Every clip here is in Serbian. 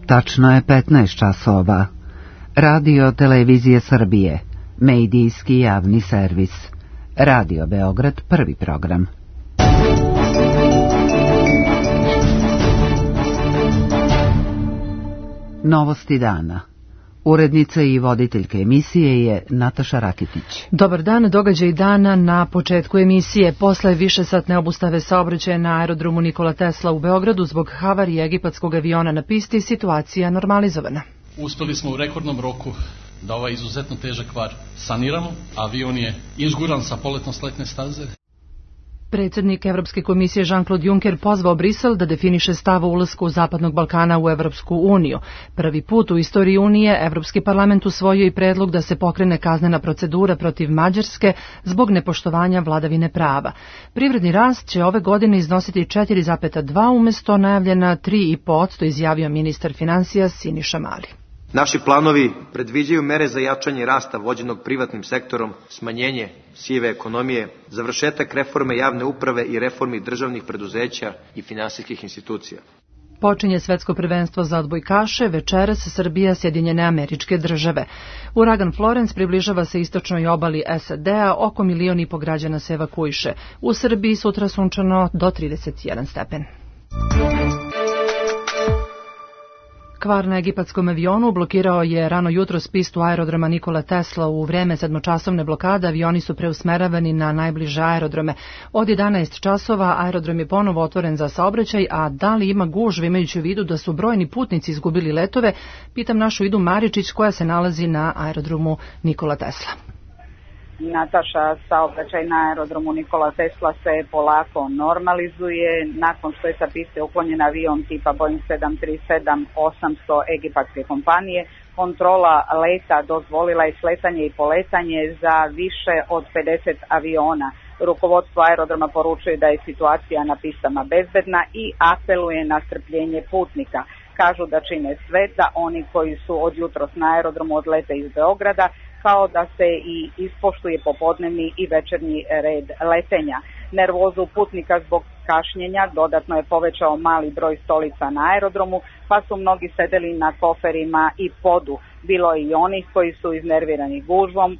Tačno je 15 časova. Radio Televizije Srbije, medijski javni servis. Radio Beograd, prvi program. Novosti dana. Urednica i voditeljka emisije je Nataša Rakitić. Dobar dan, događaj dana na početku emisije. Posle višesatne obustave saobraćaja na aerodromu Nikola Tesla u Beogradu zbog havarije egipatskog aviona na pisti, situacija normalizovana. Uspeli smo u rekordnom roku da ovaj izuzetno težak kvar saniramo. Avion je izguran sa poletno-sletne staze. Predsjednik Evropske komisije Jean-Claude Juncker pozvao Brisel da definiše stav o ulasku Zapadnog Balkana u Evropsku uniju. Prvi put u istoriji Unije Evropski parlament usvojio i predlog da se pokrene kaznena procedura protiv Mađarske zbog nepoštovanja vladavine prava. Privredni rast će ove godine iznositi 4,2 umjesto najavljena 3,5%, izjavio ministar financija Siniša Mali. Naši planovi predviđaju mere za jačanje rasta vođenog privatnim sektorom, smanjenje sive ekonomije, završetak reforme javne uprave i reformi državnih preduzeća i finansijskih institucija. Počinje svetsko prvenstvo za odbojkaše, večeras Srbija, Sjedinjene Američke Države. Uragan Florence približava se istočnoj obali SAD-a, oko 1,5 miliona građana se evakuiše. U Srbiji sutra sunčano do 31 stepen. Kvar na egipatskom avionu blokirao je rano jutros pistu aerodroma Nikola Tesla. U vreme 7-časovne blokade avioni su preusmeravani na najbliže aerodrome. Od 11 časova aerodrom je ponovo otvoren za saobraćaj, a da li ima gužve imajući u vidu da su brojni putnici izgubili letove, pitam našu Idu Maričić koja se nalazi na aerodromu Nikola Tesla. Nataša, saobraćaj na aerodromu Nikola Tesla se polako normalizuje. Nakon što je sa piste uklonjen avion tipa Boeing 737-800 egipatske kompanije, kontrola leta dozvolila je sletanje i poletanje za više od 50 aviona. Rukovodstvo aerodroma poručuje da je situacija na pistama bezbedna i apeluje na strpljenje putnika. Kažu da čine sve da oni koji su od jutros na aerodromu odlete iz Beograda, kao da se i ispoštuje popodnevni i večernji red letenja. Nervozu putnika zbog kašnjenja dodatno je povećao mali broj stolica na aerodromu, pa su mnogi sedeli na koferima i podu. Bilo je i onih koji su iznervirani gužvom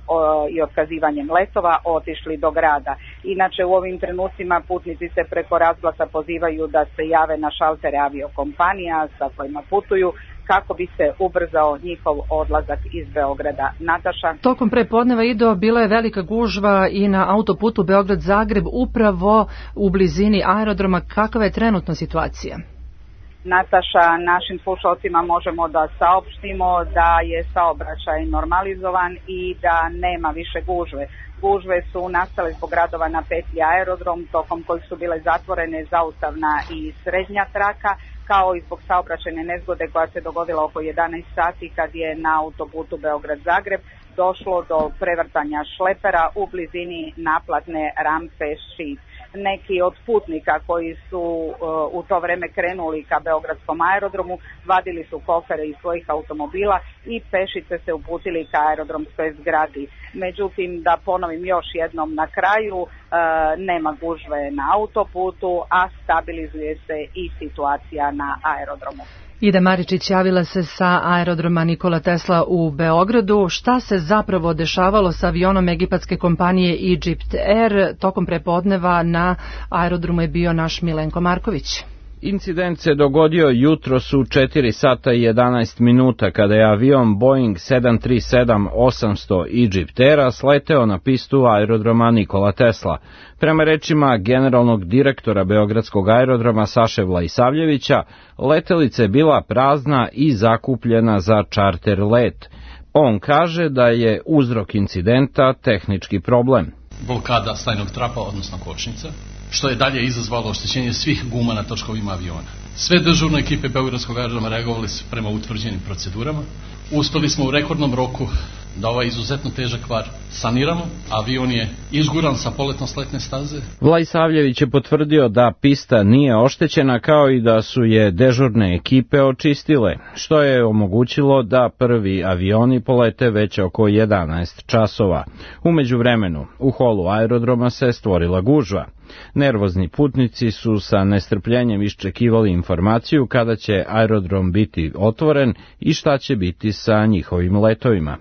i otkazivanjem letova otišli do grada. Inače, u ovim trenucima putnici se preko razglasa pozivaju da se jave na šaltere aviokompanija sa kojima putuju, kako bi se ubrzao njihov odlazak iz Beograda. Nataša. Tokom prepodneva, Ido, bila je velika gužva i na autoputu Beograd-Zagreb, upravo u blizini aerodroma. Kakva je trenutno situacija? Nataša, našim slušalcima možemo da saopštimo da je saobraćaj normalizovan i da nema više gužve. Gužve su nastale zbog radova na petlji aerodrom, tokom kojih su bile zatvorene zaustavna i srednja traka, kao i zbog saobraćajne nezgode koja se dogodila oko 11 sati kad je na autoputu Beograd-Zagreb došlo do prevrtanja šlepera u blizini naplatne rampe Šid. Neki od putnika koji su u to vreme krenuli ka beogradskom aerodromu vadili su kofere iz svojih automobila i pešice se uputili ka aerodromskoj zgradi. Međutim, da ponovim još jednom na kraju, nema gužve na autoputu, a stabilizuje se i situacija na aerodromu. Ida Maričić javila se sa aerodroma Nikola Tesla u Beogradu. Šta se zapravo dešavalo sa avionom egipatske kompanije Egypt Air? Tokom prepodneva na aerodromu je bio naš Milenko Marković. Incident se dogodio jutros u 4 sata i 11 minuta kada je avion Boeing 737-800 Egypt Aira sleteo na pistu aerodroma Nikola Tesla. Prema rečima generalnog direktora Beogradskog aerodroma Saše Vlaisavljevića, letelica je bila prazna i zakupljena za čarter let. On kaže da je uzrok incidenta tehnički problem. Blokada stajnog trapa, odnosno kočnica, što je dalje izazvalo oštećenje svih guma na točkovima aviona. Sve dežurne ekipe Beogradskog aerodroma reagovali su prema utvrđenim procedurama. Uspeli smo u rekordnom roku da ovaj izuzetno težak kvar saniramo. Avion je izguran sa poletno-sletne staze. Vlaisavljević je potvrdio da pista nije oštećena, kao i da su je dežurne ekipe očistile, što je omogućilo da prvi avioni polete već oko 11 časova. U međuvremenu, u holu aerodroma se stvorila gužva. Nervozni putnici su sa nestrpljenjem iščekivali informaciju kada će aerodrom biti otvoren i šta će biti sa njihovim letovima.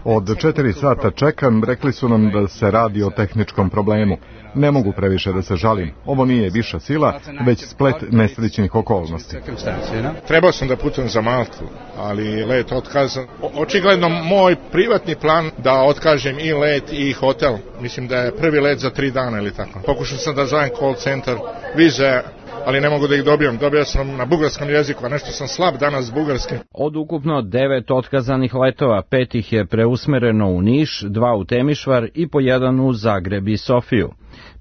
Od 4 sata čekam, rekli su nam da se radi o tehničkom problemu. Ne mogu previše da se žalim. Ovo nije viša sila, već splet nesrećnih okolnosti. Trebao sam da putujem za Maltu, ali let otkazan. Očigledno moj privatni plan da otkažem i let i hotel. Mislim da je prvi let za 3 dana ili tako. Pokušao sam da zovem call center, vize, ali ne mogu da ih dobijem. Dobio sam na bugarskom jeziku, a nešto sam slab danas s bugarskim. Od ukupno 9 otkazanih letova, 5 ih je preusmereno u Niš, 2 u Temišvar i po 1 u Zagreb i Sofiju.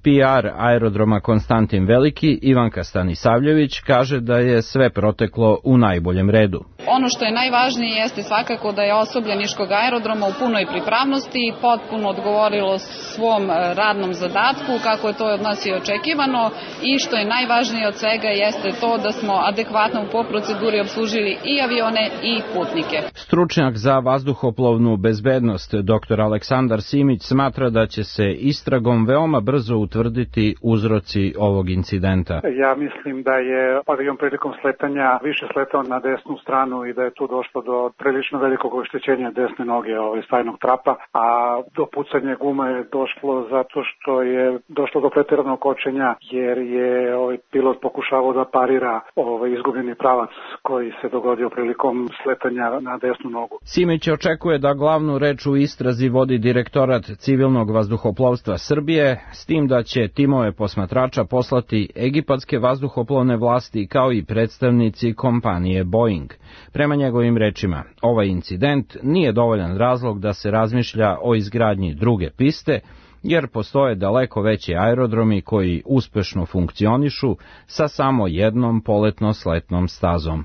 PR aerodroma Konstantin Veliki, Ivanka Stanisavljević, kaže da je sve proteklo u najboljem redu. Ono što je najvažnije jeste svakako da je osoblje Niškog aerodroma u punoj pripravnosti i potpuno odgovorilo svom radnom zadatku kako je to od nas i očekivano, i što je najvažnije od svega jeste to da smo adekvatno po proceduri obslužili i avione i putnike. Stručnjak za vazduhoplovnu bezbednost dr. Aleksandar Simić smatra da će se istragom veoma brzo utvrditi uzroci ovog incidenta. Ja mislim da je avion prilikom sletanja više sletao na desnu stranu i da je tu došlo do prilično velikog oštećenja desne noge stajnog trapa, a do pucanja gume je došlo zato što je došlo do pretjeranog kočenja jer je pilot pokušavao da parira izgubljeni pravac koji se dogodio prilikom sletanja na desnu nogu. Simić očekuje da glavnu reč u istrazi vodi Direktorat civilnog vazduhoplovstva Srbije, s tim da će timove posmatrača poslati egipatske vazduhoplovne vlasti kao i predstavnici kompanije Boeing. Prema njegovim rečima, ovaj incident nije dovoljan razlog da se razmišlja o izgradnji druge piste, jer postoje daleko veći aerodromi koji uspešno funkcionišu sa samo jednom poletno-sletnom stazom.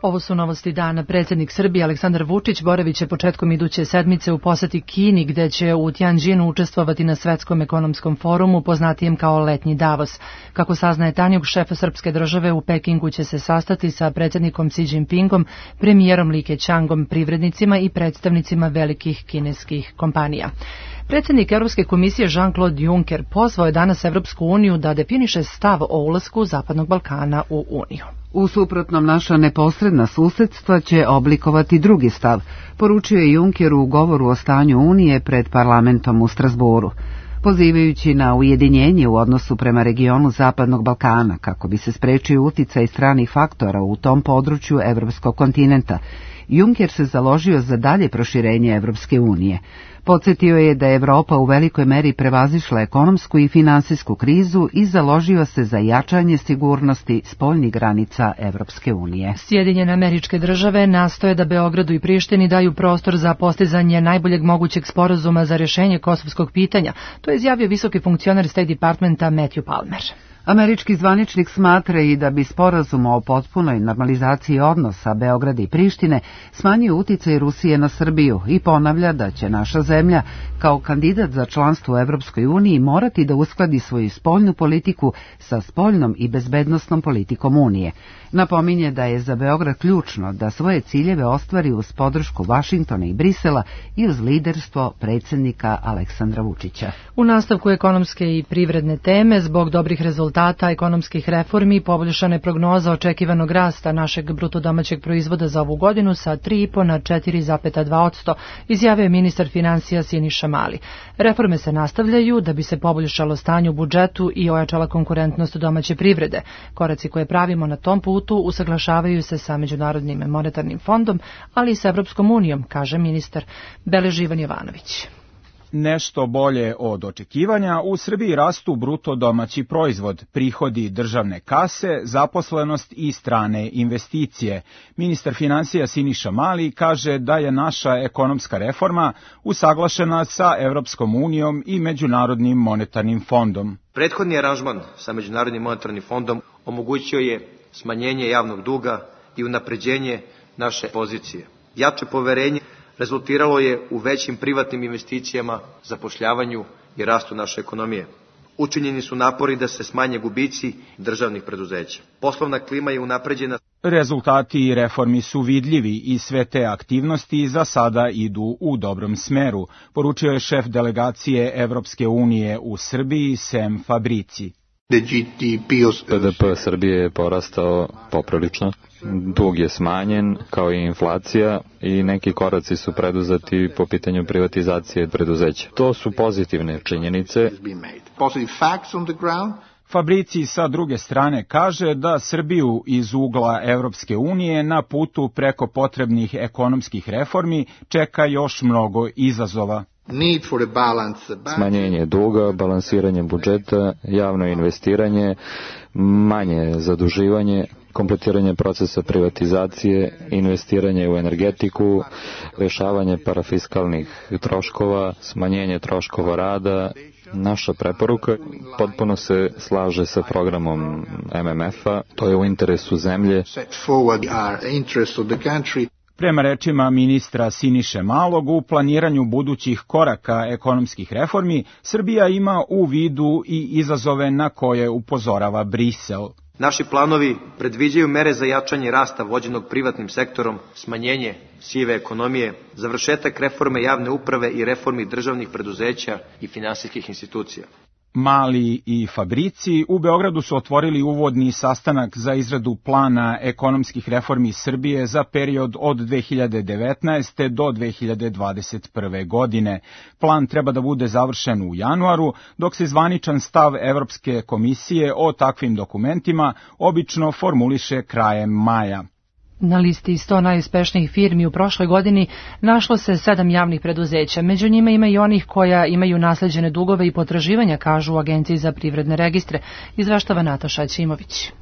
Ovo su novosti dana. Predsjednik Srbije Aleksandar Vučić boravit će početkom iduće sedmice u poseti Kini, gde će u Tianjinu učestvovati na Svetskom ekonomskom forumu, poznatijem kao Letnji Davos. Kako saznaje Tanjug, šef srpske države u Pekingu će se sastati sa predsjednikom Xi Jinpingom, premijerom Li Keqiangom, privrednicima i predstavnicima velikih kineskih kompanija. Predsjednik Evropske komisije Jean-Claude Juncker pozvao je danas Evropsku uniju da definiše stav o ulasku Zapadnog Balkana u Uniju. U suprotnom, naša neposredna susedstva će oblikovati drugi stav, poručio je Juncker u govoru o stanju Unije pred parlamentom u Strasbourgu. Pozivajući na ujedinjenje u odnosu prema regionu Zapadnog Balkana kako bi se sprečio uticaj stranih faktora u tom području evropskog kontinenta, Juncker se založio za dalje proširenje Evropske unije. Podsjetio je da je Evropa u velikoj meri prevazišla ekonomsku i finansijsku krizu i založio se za jačanje sigurnosti spoljnih granica Evropske unije. Sjedinjene Američke Države nastoje da Beogradu i Prištini daju prostor za postizanje najboljeg mogućeg sporazuma za rješenje kosovskog pitanja. To je izjavio visoki funkcioner State Departmenta Matthew Palmer. Američki zvaničnik smatra i da bi sporazum o potpunoj normalizaciji odnosa Beograda i Prištine smanjio uticaj Rusije na Srbiju i ponavlja da će naša zemlja kao kandidat za članstvo u Evropskoj uniji morati da uskladi svoju spoljnu politiku sa spoljnom i bezbednosnom politikom Unije. Napominje da je za Beograd ključno da svoje ciljeve ostvari uz podršku Vašingtona i Brisela i uz liderstvo predsjednika Aleksandra Vučića. U nastavku ekonomske i privredne teme, zbog dobrih rezultata ekonomskih reformi, poboljšana je prognoza očekivanog rasta našeg bruto domaćeg proizvoda za ovu godinu sa 3,5 na 4,2%, izjavio je ministar finansija Siniša Mali. Reforme se nastavljaju da bi se poboljšalo stanje u budžetu i ojačala konkurentnost domaće privrede. Koraci koje pravimo na tom putu usaglašavaju se sa Međunarodnim monetarnim fondom, ali i sa Evropskom unijom, kaže ministar. Beleži Ivan Jovanović. Nešto bolje od očekivanja, u Srbiji rastu bruto domaći proizvod, prihodi državne kase, zaposlenost i strane investicije. Ministar finansija Siniša Mali kaže da je naša ekonomska reforma usaglašena sa Evropskom unijom i Međunarodnim monetarnim fondom. Prethodni aranžman sa Međunarodnim monetarnim fondom omogućio je smanjenje javnog duga i unapređenje naše pozicije. Jače poverenje rezultiralo je u većim privatnim investicijama, zapošljavanju i rastu naše ekonomije. Učinjeni su napori da se smanje gubici državnih preduzeća. Poslovna klima je unapređena. Rezultati reformi su vidljivi i sve te aktivnosti za sada idu u dobrom smeru, poručio je šef delegacije Evropske unije u Srbiji Sem Fabrici. BDP Srbije je porastao poprilično, dug je smanjen kao i inflacija i neki koraci su preduzeti po pitanju privatizacije preduzeća. To su pozitivne činjenice. Fabrici sa druge strane kaže da Srbiju iz ugla Evropske unije na putu preko potrebnih ekonomskih reformi čeka još mnogo izazova. Smanjenje duga, balansiranje budžeta, javno investiranje, manje zaduživanje, kompletiranje procesa privatizacije, investiranje u energetiku, rešavanje parafiskalnih troškova, smanjenje troškova rada. Naša preporuka potpuno se slaže sa programom MMF-a, to je u interesu zemlje. Prema rečima ministra Siniše Malog, u planiranju budućih koraka ekonomskih reformi, Srbija ima u vidu i izazove na koje upozorava Brisel. Naši planovi predviđaju mere za jačanje rasta vođenog privatnim sektorom, smanjenje sive ekonomije, završetak reforme javne uprave i reformi državnih preduzeća i finansijskih institucija. Mali i Fabrici u Beogradu su otvorili uvodni sastanak za izradu plana ekonomskih reformi Srbije za period od 2019. do 2021. godine. Plan treba da bude završen u januaru, dok se zvaničan stav Evropske komisije o takvim dokumentima obično formuliše krajem maja. Na listi 100 najuspešnijih firmi u prošloj godini našlo se 7 javnih preduzeća. Među njima ima i onih koja imaju nasleđene dugove i potraživanja, kažu u Agenciji za privredne registre, izveštava Nataša Ćimović.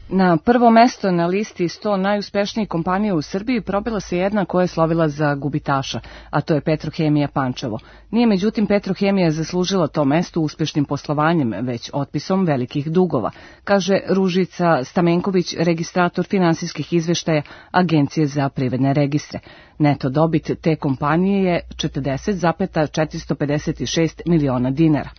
Na prvo mesto na listi 100 najuspešnijih kompanija u Srbiji probila se jedna koja je slovila za gubitaša, a to je Petrohemija Pančevo. Nije međutim Petrohemija zaslužila to mesto uspešnim poslovanjem, već otpisom velikih dugova, kaže Ružica Stamenković, registrator finansijskih izveštaja Agencije za privredne registre. Neto dobit te kompanije je 40,456 miliona dinara.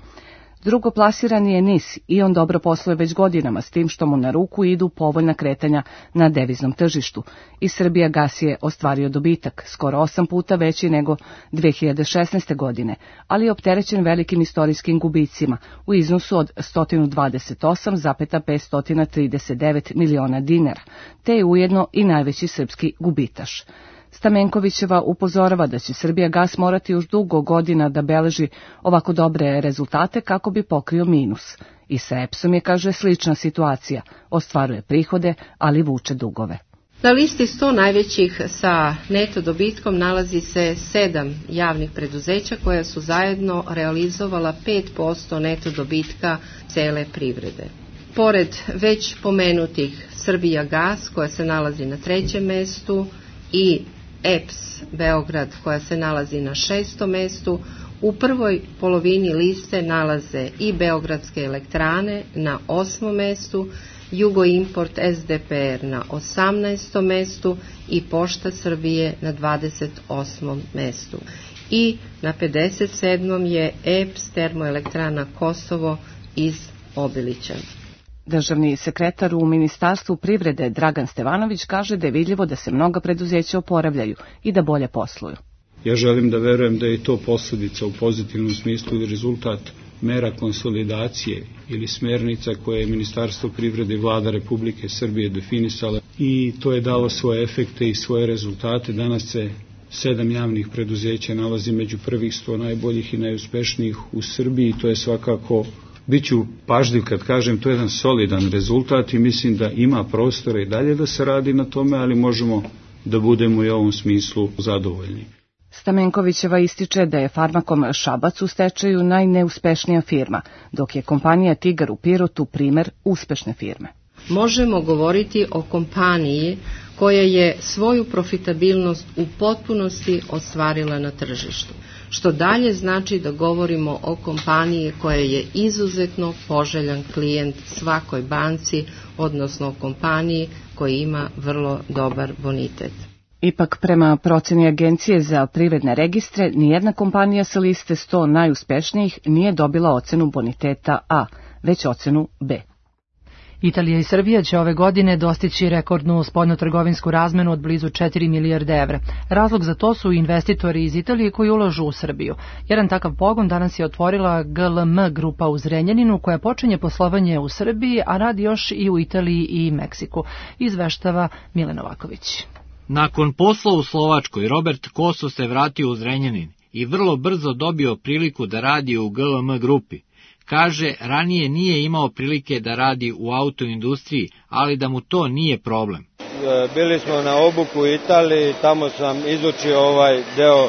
Drugo plasirani je NIS i on dobro posluje već godinama, s tim što mu na ruku idu povoljna kretanja na deviznom tržištu. I Srbija gas je ostvario dobitak, skoro 8 puta veći nego 2016. godine, ali je opterećen velikim istorijskim gubicima u iznosu od 128,539 miliona dinara, te je ujedno i najveći srpski gubitaš. Stamenkovićeva upozorava da će Srbija gas morati još dugo godina da beleži ovako dobre rezultate kako bi pokrio minus. I sa EPS-om je, kaže, slična situacija. Ostvaruje prihode, ali vuče dugove. Na listi 100 najvećih sa neto dobitkom nalazi se 7 javnih preduzeća koja su zajedno realizovala 5% neto dobitka cele privrede. Pored već pomenutih Srbija gas koja se nalazi na 3. mestu i EPS Beograd koja se nalazi na 6. mestu, u prvoj polovini liste nalaze i Beogradske elektrane na 8. mestu, Jugoimport SDPR na 18. mestu i Pošta Srbije na 28. mestu. I na 57. je EPS Termoelektrana Kosovo iz Obilića. Državni sekretar u Ministarstvu privrede Dragan Stevanović kaže da je vidljivo da se mnoga preduzeća oporavljaju i da bolje posluju. Ja želim da verujem da je to posljedica u pozitivnom smislu ili rezultat mera konsolidacije ili smernica koje je Ministarstvo privrede i Vlada Republike Srbije definisala i to je dalo svoje efekte i svoje rezultate. Danas se 7 javnih preduzeća nalazi među prvih 100 najboljih i najuspešnijih u Srbiji. To je svakako, biću pažljiv kad kažem, to je jedan solidan rezultat i mislim da ima prostora i dalje da se radi na tome, ali možemo da budemo i u ovom smislu zadovoljni. Stamenkovićeva ističe da je Farmakom Šabac u stečaju najneuspešnija firma, dok je kompanija Tigar u Pirotu primer uspešne firme. Možemo govoriti o kompaniji koja je svoju profitabilnost u potpunosti ostvarila na tržištu, što dalje znači da govorimo o kompaniji koja je izuzetno poželjan klijent svakoj banci, odnosno kompaniji koja ima vrlo dobar bonitet. Ipak, prema proceni Agencije za privredne registre, nijedna kompanija sa liste 100 najuspešnijih nije dobila ocenu boniteta A, već ocenu B. Italija i Srbija će ove godine dostići rekordnu spoljnotrgovinsku razmenu od blizu 4 milijarde evra. Razlog za to su investitori iz Italije koji ulažu u Srbiju. Jedan takav pogon danas je otvorila GLM grupa u Zrenjaninu koja počinje poslovanje u Srbiji, a radi još i u Italiji i Meksiku. Izveštava Milan Novaković. Nakon posla u Slovačkoj, Robert Koso se vratio u Zrenjanin i vrlo brzo dobio priliku da radi u GLM grupi. Kaže, ranije nije imao prilike da radi u autoindustriji, ali da mu to nije problem. Bili smo na obuku u Italiji, tamo sam izučio ovaj deo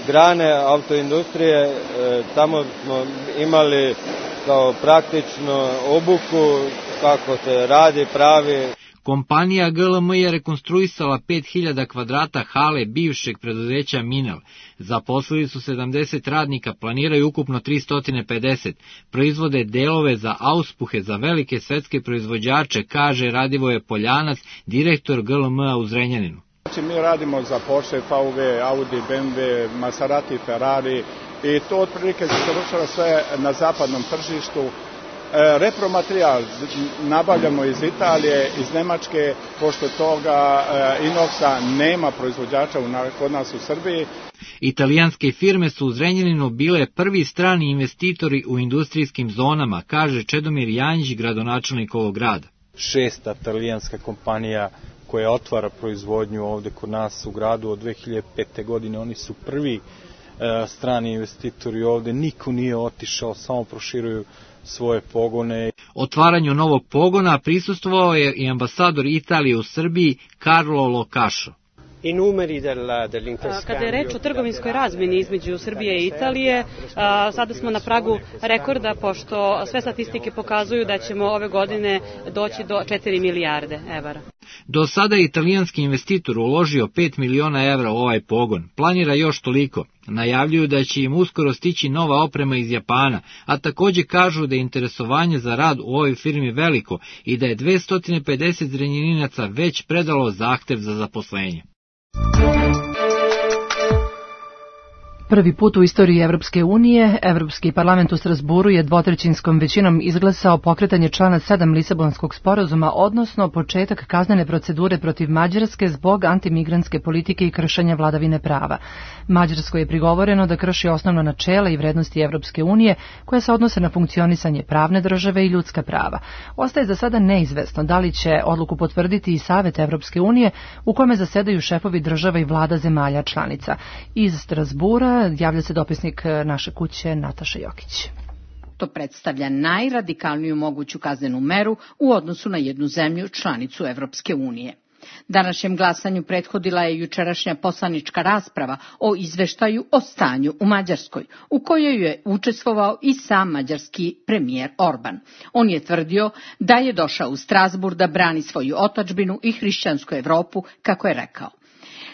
grane autoindustrije, tamo smo imali kao praktično obuku kako se radi, pravi. Kompanija GLM je rekonstruisala 5000 kvadrata hale bivšeg preduzeća Minel. Zaposlili su 70 radnika, planiraju ukupno 350. Proizvode delove za auspuhe za velike svetske proizvođače, kaže Radivoje Poljanac, direktor GLM-a u Zrenjaninu. Mi radimo za Porsche, VW, Audi, BMW, Maserati, Ferrari i to otprilike se završava sve na zapadnom tržištu. Repromaterijal nabavljamo iz Italije, iz Nemačke, pošto toga inoksa nema proizvođača kod nas u Srbiji. Italijanske firme su u Zrenjaninu bile prvi strani investitori u industrijskim zonama, kaže Čedomir Janjić, gradonačelnik ovog grada. 6. italijanska kompanija koja otvara proizvodnju ovde kod nas u gradu od 2005. godine. Oni su prvi strani investitori ovde, niko nije otišao, samo proširuju svoje pogone. Otvaranju novog pogona prisustvovao je i ambasador Italije u Srbiji Carlo Locašo. Kada je reč o trgovinskoj razmeni između Srbije i Italije, sada smo na pragu rekorda, pošto sve statistike pokazuju da ćemo ove godine doći do 4 milijarde evra. Do sada je italijanski investitor uložio 5 miliona evra u ovaj pogon. Planira još toliko. Najavljuju da će im uskoro stići nova oprema iz Japana, a takođe kažu da je interesovanje za rad u ovoj firmi veliko i da je 250 Zrenjaninaca već predalo zahtev za zaposlenje. Prvi put u istoriji Evropske unije, Evropski parlament u Strasburu je dvotrećinskom većinom izglasao pokretanje člana 7 Lisabonskog sporazuma, odnosno početak kaznene procedure protiv Mađarske zbog antimigrantske politike i kršenja vladavine prava. Mađarskoj je prigovoreno da krši osnovna načela i vrednosti Evropske unije koja se odnose na funkcionisanje pravne države i ljudska prava. Ostaje za sada neizvesno da li će odluku potvrditi i Savet Evropske unije u kome zasedaju šefovi država i vlada zemalja članica. Iz Strasbura javlja se dopisnik naše kuće Nataša Jokić. To predstavlja najradikalniju moguću kaznenu meru u odnosu na jednu zemlju članicu Evropske unije. Današnjem glasanju prethodila je jučerašnja poslanička rasprava o izveštaju o stanju u Mađarskoj, u kojoj je učestvovao i sam mađarski premijer Orban. On je tvrdio da je došao u Strasburg da brani svoju otadžbinu i hrišćansku Evropu, kako je rekao.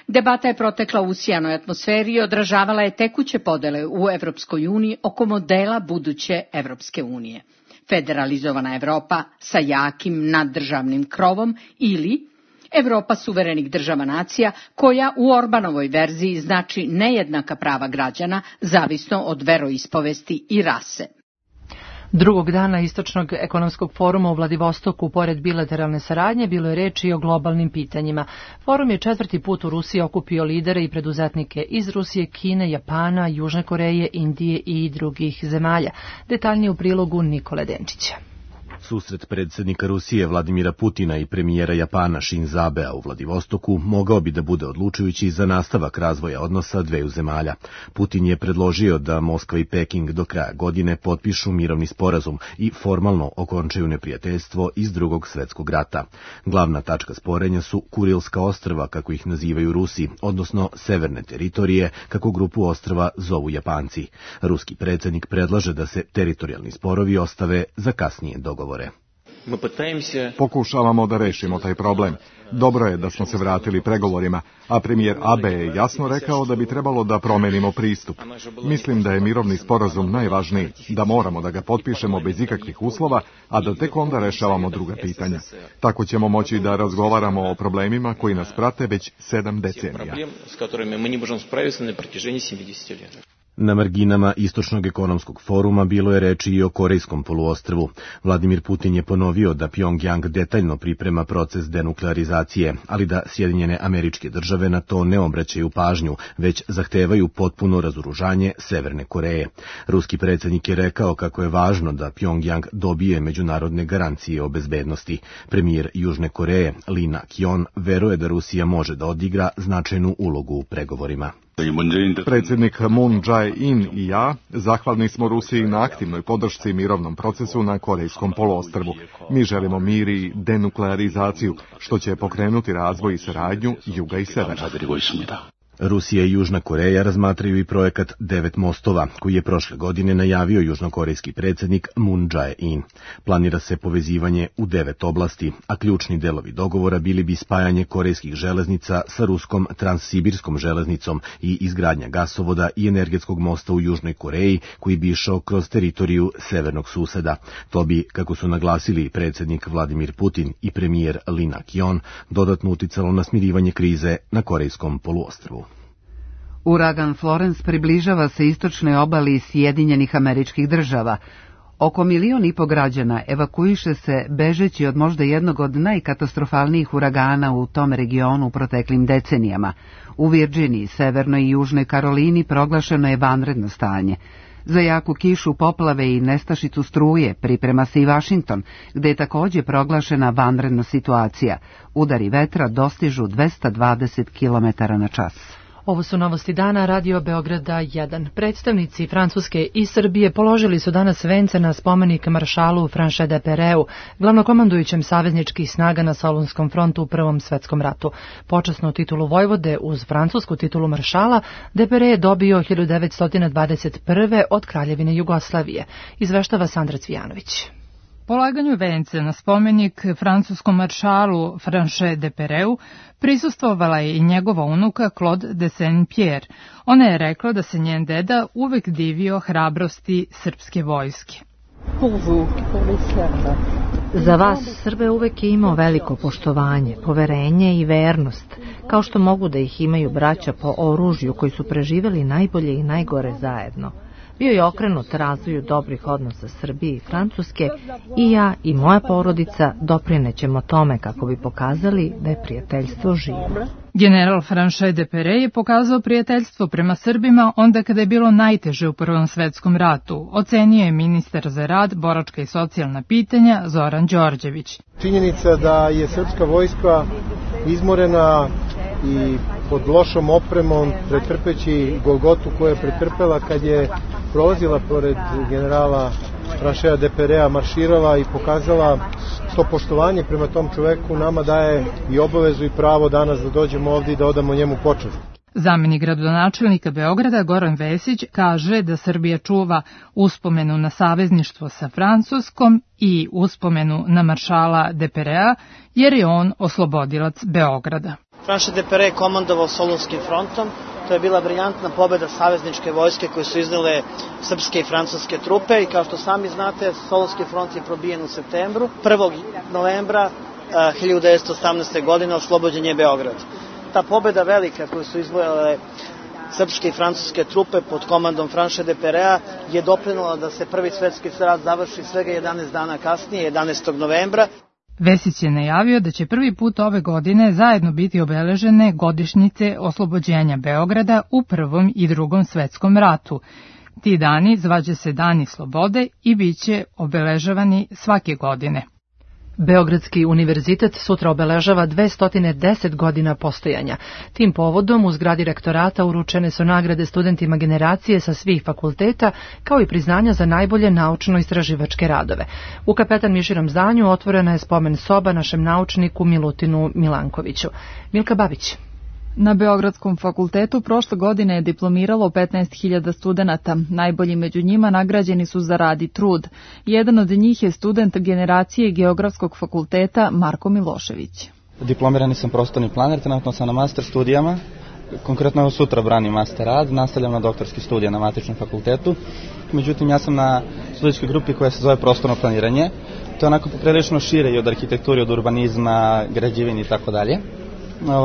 Debata je protekla u usijanoj atmosferi i odražavala je tekuće podele u Evropskoj uniji oko modela buduće Evropske unije. Federalizovana Evropa sa jakim naddržavnim krovom ili Evropa suverenih država nacija koja u Orbanovoj verziji znači nejednaka prava građana zavisno od veroispovesti i rase. Drugog dana Istočnog ekonomskog foruma u Vladivostoku, pored bilateralne saradnje, bilo je reči i o globalnim pitanjima. Forum je 4. put u Rusiji okupio lidere i preduzetnike iz Rusije, Kine, Japana, Južne Koreje, Indije i drugih zemalja. Detaljnije u prilogu Nikole Denčića. Susret predsjednika Rusije Vladimira Putina i premijera Japana Shinzo Abea u Vladivostoku mogao bi da bude odlučujući za nastavak razvoja odnosa dveju zemalja. Putin je predložio da Moskva i Peking do kraja godine potpišu mirovni sporazum i formalno okončaju neprijateljstvo iz Drugog svjetskog rata. Glavna tačka sporenja su Kurilska ostrva, kako ih nazivaju Rusi, odnosno severne teritorije, kako grupu ostrva zovu Japanci. Ruski predsjednik predlaže da se teritorijalni sporovi ostave za kasnije dogovore. Pokušavamo da rešimo taj problem. Dobro je da smo se vratili pregovorima, a premijer Abe je jasno rekao da bi trebalo da promenimo pristup. Mislim da je mirovni sporazum najvažniji, da moramo da ga potpišemo bez ikakvih uslova, a da tek onda rešavamo druga pitanja. Tako ćemo moći da razgovaramo o problemima koji nas prate već 7 decenija. Na marginama Istočnog ekonomskog foruma bilo je reči i o Korejskom poluostrvu. Vladimir Putin je ponovio da Pjongjang detaljno priprema proces denuklearizacije, ali da Sjedinjene Američke Države na to ne obraćaju pažnju, već zahtevaju potpuno razoružanje Severne Koreje. Ruski predsjednik je rekao kako je važno da Pjongjang dobije međunarodne garancije o bezbednosti. Premijer Južne Koreje, Lee Nak-yeon, veruje da Rusija može da odigra značajnu ulogu u pregovorima. Predsjednik Moon Jae-in i ja zahvalni smo Rusiji na aktivnoj podršci mirovnom procesu na Korejskom poluostrvu. Mi želimo mir i denuklearizaciju, što će pokrenuti razvoj i saradnju juga i severa. Rusija i Južna Koreja razmatraju i projekat 9 mostova, koji je prošle godine najavio južnokorejski predsjednik Moon Jae-in. Planira se povezivanje u 9 oblasti, a ključni delovi dogovora bili bi spajanje korejskih železnica sa ruskom transsibirskom železnicom i izgradnja gasovoda i energetskog mosta u Južnoj Koreji, koji bi išao kroz teritoriju severnog suseda. To bi, kako su naglasili predsjednik Vladimir Putin i premijer Lee Nak-yeon, dodatno uticalo na smirivanje krize na Korejskom poluostrvu. Uragan Florence približava se istočnoj obali Sjedinjenih Američkih Država. Oko 1,5 miliona građana evakuiše se bežeći od možda jednog od najkatastrofalnijih uragana u tom regionu u proteklim decenijama. U Virginiji, Severnoj i Južnoj Karolini proglašeno je vanredno stanje. Za jaku kišu, poplave i nestašicu struje priprema se i Vašington, gde je također proglašena vanredna situacija. Udari vetra dostižu 220 km/h. Ovo su novosti dana Radio Beograda 1. Predstavnici Francuske i Srbije položili su danas vence na spomenik maršalu Franche Depereu, glavnokomandujućem savezničkih snaga na Solunskom frontu u Prvom svetskom ratu. Počasnu titulu vojvode uz francusku titulu maršala Depere je dobio 1921. od Kraljevine Jugoslavije. Izveštava Sandra Cvijanović. Polaganju vence na spomenik francuskom maršalu Franche Depereu prisustvovala je i njegova unuka Claude de Saint-Pierre. Ona je rekla da se njen deda uvek divio hrabrosti srpske vojske. Za vas Srbe uvek je imao veliko poštovanje, poverenje i vernost, kao što mogu da ih imaju braća po oružju koji su preživeli najbolje i najgore zajedno. Bio je okrenut razvoju dobrih odnosa Srbije i Francuske i ja i moja porodica doprinećemo tome kako bi pokazali da je prijateljstvo živo. General Franche Depere je pokazao prijateljstvo prema Srbima onda kada je bilo najteže u Prvom svetskom ratu, ocenio je ministar za rad, boračka i socijalna pitanja Zoran Đorđević. Činjenica da je srpska vojska izmorena i pod lošom opremom, pretrpeći golgotu koju je pretrpela kad je prolazila pored generala Franchea Deperea, marširala i pokazala to poštovanje prema tom čoveku, nama daje i obavezu i pravo danas da dođemo ovdje i da odamo njemu počast. Zamenik gradonačelnika Beograda Goran Vesić kaže da Srbija čuva uspomenu na savezništvo sa Francuskom i uspomenu na maršala Deperea, jer je on oslobodilac Beograda. Franche Depere je komandovao Solunskim frontom. To je bila briljantna pobjeda savezničke vojske koje su iznele srpske i francuske trupe i kao što sami znate, Solunski front je probijen u septembru. 1. novembra 1918. godine oslobođen je Beograd. Ta pobjeda velika koju su izvojale srpske i francuske trupe pod komandom Franche Deperea je doprinula da se Prvi svetski rat završi svega 11 dana kasnije, 11. novembra. Vesić je najavio da će prvi put ove godine zajedno biti obeležene godišnjice oslobođenja Beograda u Prvom i Drugom svetskom ratu. Ti dani zvaće se Dani slobode i bit će obeležavani svake godine. Beogradski univerzitet sutra obeležava 210 godina postojanja. Tim povodom u zgradi rektorata uručene su nagrade studentima generacije sa svih fakulteta, kao i priznanja za najbolje naučno-istraživačke radove. U Kapetan Miširom zdanju otvorena je spomen soba našem naučniku Milutinu Milankoviću. Milka Babić. Na Beogradskom fakultetu prošle godine je diplomiralo 15.000 studenata. Najbolji među njima nagrađeni su za rad i trud. Jedan od njih je student generacije Geografskog fakulteta Marko Milošević. Diplomirani sam prostorni planer, trenutno sam na master studijama. Konkretno sutra branim master rad, nastavljam na doktorski studij na matičnom fakultetu. Međutim, ja sam na studijskoj grupi koja se zove prostorno planiranje. To je onako poprilično šire i od arhitekture, od urbanizma, građevine i tako dalje.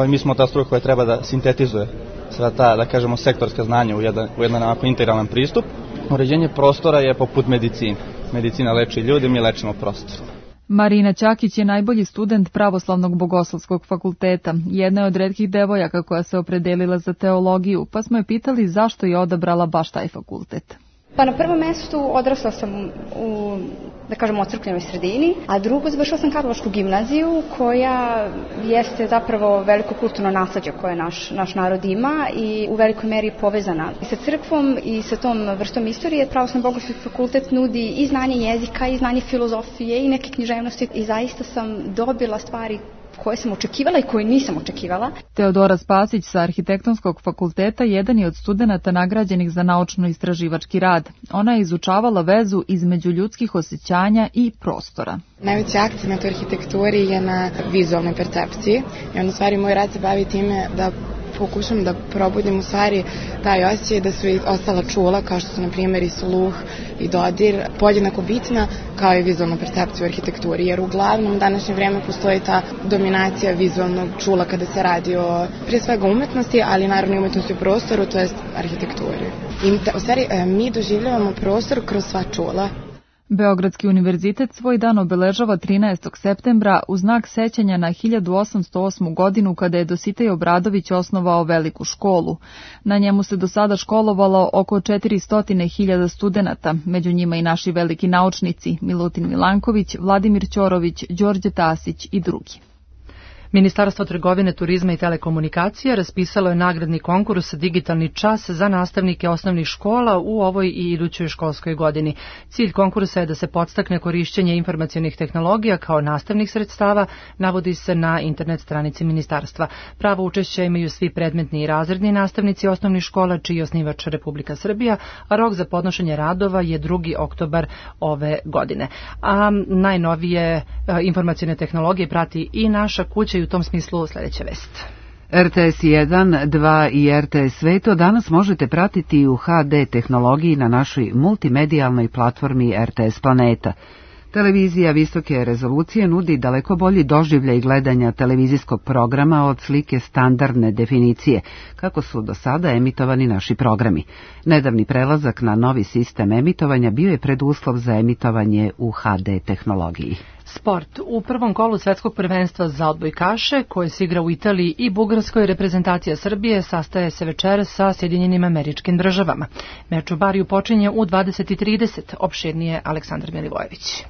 Mi smo ta struka koja treba da sintetizuje sva ta, da kažemo, sektorska znanja u jedan onako integralan pristup. Uređenje prostora je poput medicine. Medicina leči ljude, mi lečimo prostor. Marina Ćakić je najbolji student Pravoslavnog bogoslovskog fakulteta. Jedna je od retkih devojaka koja se opredelila za teologiju, pa smo je pitali zašto je odabrala baš taj fakultet. Pa na prvom mestu odrasla sam u, da kažem, ocrkvenoj sredini, a drugo završila sam Karlovačku gimnaziju koja jeste zapravo veliko kulturno nasleđe koje naš narod ima i u velikoj meri povezana i sa crkvom i sa tom vrstom istorije. Pravoslavni bogoslovski fakultet nudi i znanje jezika i znanje filozofije i neke književnosti i zaista sam dobila stvari koje sam očekivala i koje nisam očekivala. Teodora Spasić sa Arhitektonskog fakulteta jedan je od studenata nagrađenih za naučno-istraživački rad. Ona je izučavala vezu između ljudskih osjećanja i prostora. Najveći akcent u arhitekturi je na vizualnoj percepciji i onda stvari moj rad se bavi time da pokušam da probudim u stvari taj osjećaj da su i ostala čula, kao što su na primjer i sluh i dodir, podjednako bitna kao i vizualna percepcija u arhitekturi, jer uglavnom u današnje vreme postoji ta dominacija vizualnog čula kada se radi o prije svega umetnosti, ali naravno i umetnosti u prostoru, to jest arhitekturi. I u stvari mi doživljavamo prostor kroz sva čula. Beogradski univerzitet svoj dan obeležava 13. septembra u znak sećanja na 1808. godinu kada je Dositej Obradović osnovao veliku školu. Na njemu se do sada školovalo oko 400.000 studenata, među njima i naši veliki naučnici Milutin Milanković, Vladimir Ćorović, Đorđe Tasić i drugi. Ministarstvo trgovine, turizma i telekomunikacije raspisalo je nagradni konkurs Digitalni čas za nastavnike osnovnih škola u ovoj i idućoj školskoj godini. Cilj konkursa je da se podstakne korišćenje informacionih tehnologija kao nastavnih sredstava, navodi se na internet stranici ministarstva. Pravo učešća imaju svi predmetni i razredni nastavnici osnovnih škola, čiji je osnivač Republika Srbija, a rok za podnošenje radova je 2. oktobar ove godine. A najnovije informacione tehnologije prati i naša kuća i u tom smislu sljedeća vest. RTS 1, 2 i RTS Sveto danas možete pratiti u HD tehnologiji na našoj multimedijalnoj platformi RTS Planeta. Televizija visoke rezolucije nudi daleko bolji doživljaj gledanja televizijskog programa od slike standardne definicije, kako su do sada emitovani naši programi. Nedavni prelazak na novi sistem emitovanja bio je preduslov za emitovanje u HD tehnologiji. Sport. U prvom kolu svetskog prvenstva za odbojkaše, koje se igra u Italiji i Bugarskoj, reprezentacija Srbije sastaje se večeras sa Sjedinjenim Američkim Državama. Meč u Bariju počinje u 20:30. Opširnije Aleksandar Milivojević.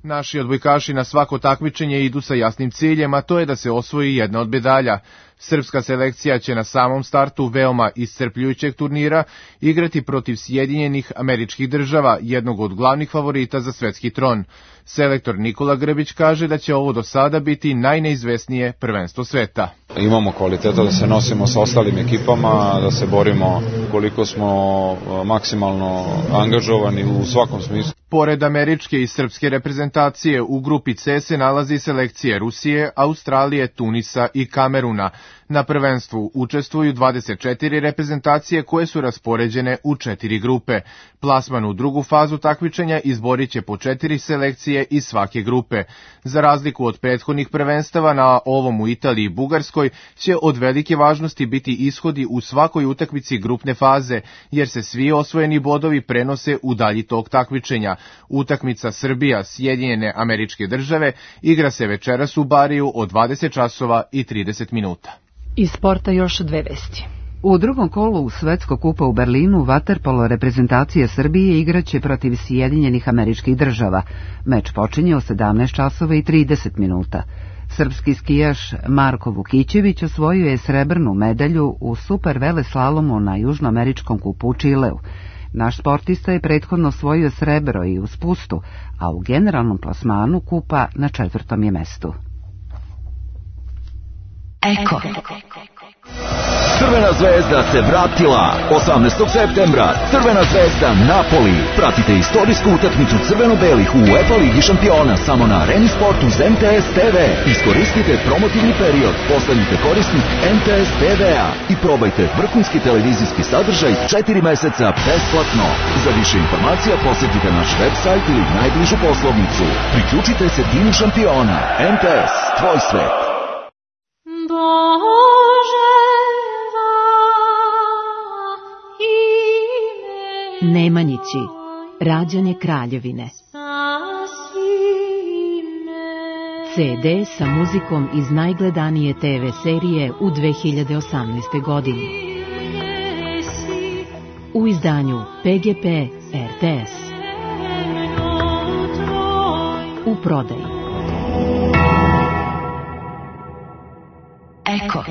Naši odbojkaši na svako takmičenje idu sa jasnim ciljem, a to je da se osvoji jedna od medalja. Srpska selekcija će na samom startu veoma iscrpljujućeg turnira igrati protiv Sjedinjenih Američkih Država, jednog od glavnih favorita za svetski tron. Selektor Nikola Grbić kaže da će ovo do sada biti najneizvesnije prvenstvo sveta. Imamo kvaliteta da se nosimo sa ostalim ekipama, da se borimo koliko smo maksimalno angažovani u svakom smislu. Pored američke i srpske reprezentacije, u grupi C se nalazi selekcije Rusije, Australije, Tunisa i Kameruna. Na prvenstvu učestvuju 24 reprezentacije koje su raspoređene u 4 grupe. Plasman u drugu fazu takmičenja izborit će po 4 selekcije iz svake grupe. Za razliku od prethodnih prvenstava, na ovom u Italiji i Bugarskoj će od velike važnosti biti ishodi u svakoj utakmici grupne faze, jer se svi osvojeni bodovi prenose u dalji tok takmičenja. Utakmica Srbija, Sjedinjene Američke Države igra se večeras u Bariju od 20 časova i 30 minuta. Iz sporta još dve vesti. U drugom kolu Svetskog kupa u Berlinu vaterpolo reprezentacija Srbije igraće protiv Sjedinjenih Američkih Država. Meč počinje u 17 časova i 30 minuta. Srpski skijaš Marko Vukićević osvojio je srebrnu medalju u super veleslalomu na Južnoameričkom kupu u Čileu. Naš sportista je prethodno osvojio srebro i u spustu, a u generalnom plasmanu kupa na 4. je mestu. Eko. Crvena zvezda se vratila 18. septembra. Crvena zvezda Napoli. Pratite istorijsku utakmicu crveno-belih u UEFA Ligi šampiona samo na Areni Sportu uz MTS TV. Iskoristite promotivni period, postanite korisnik MTS TV-a i probajte vrhunski televizijski sadržaj 4 meseca besplatno. Za više informacija posjetite naš website ili najbližu poslovnicu. Priključite se timu šampiona. MTS, tvoj svet. Nemanjići, rađanje kraljevine. CD sa muzikom iz najgledanije TV serije u 2018. godini. U izdanju PGP RTS. U prodaji. Eko.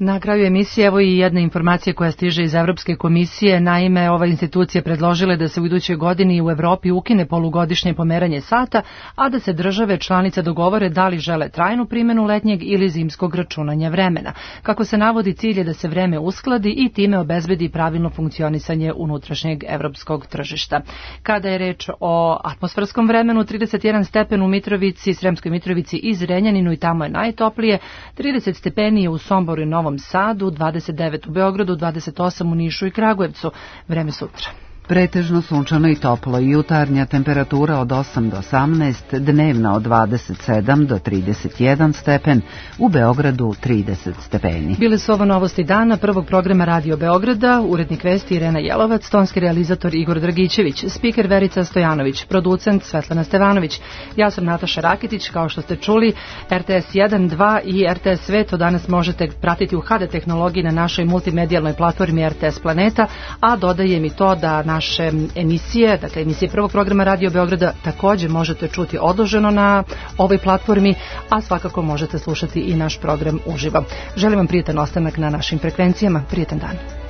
Na kraju emisije evo i jedna informacija koja stiže iz Evropske komisije. Naime, ova institucija predložila da se u idućoj godini u Evropi ukine polugodišnje pomeranje sata, a da se države članice dogovore da li žele trajnu primjenu letnjeg ili zimskog računanja vremena. Kako se navodi, cilj je da se vreme uskladi i time obezbedi pravilno funkcionisanje unutrašnjeg evropskog tržišta. Kada je reč o atmosferskom vremenu, 31 stepen u Mitrovici, Sremskoj Mitrovici i Zrenjaninu i tamo je najtoplije, 30 stepeni je u Somboru i Novom Sadu, 29 u Beogradu, 28 u Nišu i Kragujevcu. Vreme sutra. Pretežno sunčano i toplo, jutarnja temperatura od 8 do 18, dnevna od 27 do 31 stepen, u Beogradu 30 stepeni. Bile su ovo novosti dana prvog programa Radio Beograda, urednik vesti Irena Jelovac, tonski realizator Igor Dragićević, spiker Verica Stojanović, producent Svetlana Stevanović. Ja sam Nataša Rakitić, kao što ste čuli, RTS 1, 2 i RTS Sveto danas možete pratiti u HD tehnologiji na našoj multimedijalnoj platformi RTS Planeta, a dodajem i to da naše emisije, dakle emisije prvog programa Radio Beograda također možete čuti odloženo na ovoj platformi, a svakako možete slušati i naš program uživo. Želim vam prijetan ostanak na našim frekvencijama, prijetan dan.